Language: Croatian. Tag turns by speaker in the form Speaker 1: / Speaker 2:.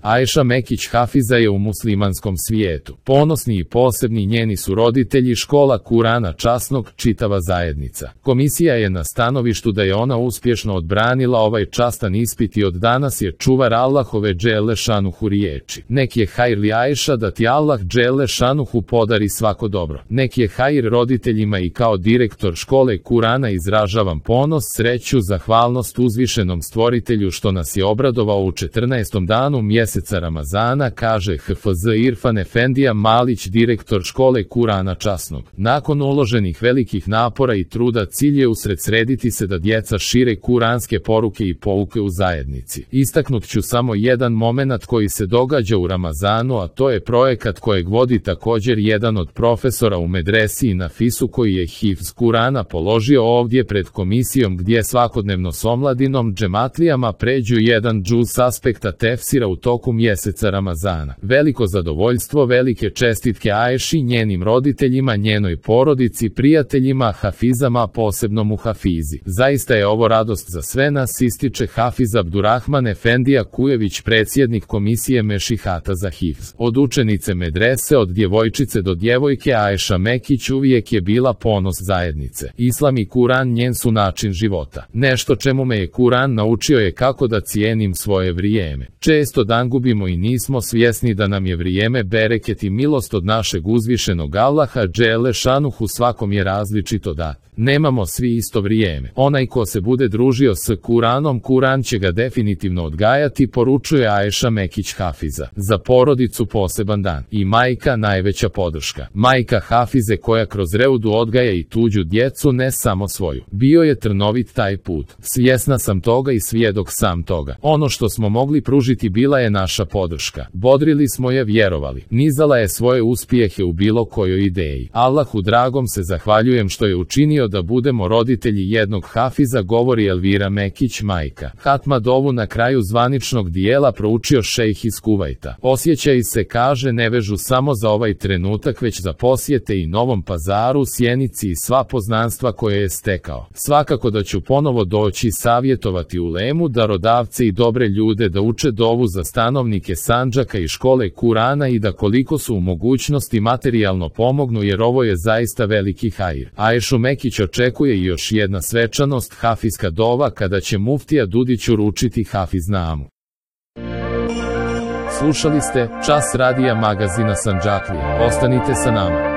Speaker 1: Ajša Mekić Hafiza je u muslimanskom svijetu. Ponosni i posebni njeni su roditelji, škola Kurana časnog, čitava zajednica. Komisija je na stanovištu da je ona uspješno odbranila ovaj častan ispit i od danas je čuvar Allahove dželle šanuhu riječi. Nek je hajr li Ajša, da ti Allah dželle šanuhu podari svako dobro. Nek je hajr roditeljima i kao direktor škole Kurana izražavam ponos, sreću, zahvalnost uzvišenom stvoritelju što nas je obradovao u 14. danu mjeseca Ramazana, kaže HFZ Irfan Efendija Malić, direktor škole Kurana časnog. Nakon uloženih velikih napora i truda cilj je usredsrediti se da djeca šire kuranske poruke i pouke u zajednici. Istaknut ću samo jedan momenat koji se događa u Ramazanu, a to je projekat kojeg vodi također jedan od profesora u medresi i na Fisu koji je hifz Kurana položio ovdje pred komisijom gdje svakodnevno s omladinom džematlijama pređu jedan džuz s aspekta tefsira u toku mjeseca Ramazana. Veliko zadovoljstvo, velike čestitke Ajši, njenim roditeljima, njenoj porodici, prijateljima, hafizama, posebno mu Hafizi. Zaista je ovo radost za sve nas, ističe Hafiz Abdurrahman Efendija Kujević, predsjednik komisije Mešihata za hifz. Od učenice medrese, od djevojčice do djevojke, Ajša Mekić uvijek je bila ponos zajednice. Islam i Kuran njen su način života. Nešto čemu me je Kuran naučio je kako da cijenim svoje vrijeme. Često dan gubimo i nismo svjesni da nam je vrijeme bereket i milost od našeg uzvišenog Allaha dželle šanuhu, svakom je različito dat. Nemamo svi isto vrijeme. Onaj ko se bude družio s Kuranom, Kuran će ga definitivno odgajati, poručuje Ajša Mekić Hafiza. Za porodicu poseban dan. I majka najveća podrška. Majka Hafize koja kroz Reudu odgaja i tuđu djecu, ne samo svoju. Bio je trnovit taj put. Svjesna sam toga i svjedok sam toga. Ono što smo mogli pružiti bila je naša podrška. Bodrili smo je, vjerovali. Nizala je svoje uspjehe u bilo kojoj ideji. Allahu dragom se zahvaljujem što je učinio da budemo roditelji jednog Hafiza, govori Elvira Mekić, majka. Hatma dovu na kraju zvaničnog dijela proučio šejh iz Kuvajta. Osjećaj se, kaže, ne vežu samo za ovaj trenutak, već za posjete i Novom Pazaru, Sjenici i sva poznanstva koje je stekao. Svakako da ću ponovo doći savjetovati ulemu, darodavce i dobre ljude da uče dovu za stanovnike Sandžaka i škole Kurana i da koliko su u mogućnosti materijalno pomognu, jer ovo je zaista veliki hajr. Ajšu Mekić očekuje i još jedna svečanost, hafizka dova, kada će muftija Dudić uručiti hafiznamu. Slušali ste Čas radija magazina Sandžaklija. Ostanite sa nama.